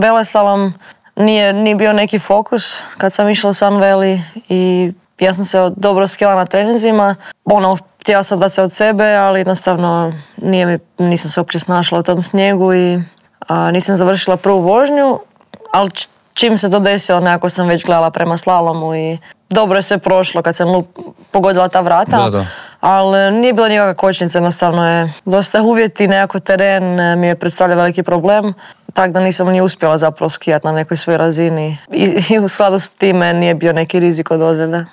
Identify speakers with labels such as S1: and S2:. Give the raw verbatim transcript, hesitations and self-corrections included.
S1: Veleslalom nije, nije bio neki fokus kad sam išla u Sun Valley i ja sam se dobro skijala na treninzima. Ono, htjela sam dati se od sebe, ali jednostavno nije mi, nisam se uopće snašla u tom snijegu i a, nisam završila prvu vožnju, ali čim se to desilo, nekako sam već gledala prema slalomu i dobro je sve prošlo kad sam lup, pogodila ta vrata.
S2: Da, da.
S1: Ali nije bilo nikakva kočnica, jednostavno je dosta uvjeti, nekako teren mi je predstavlja veliki problem, tako da nisam ni uspjela zapravo skijati na nekoj svojoj razini i, i u skladu s time nije bio neki rizik od ozljede.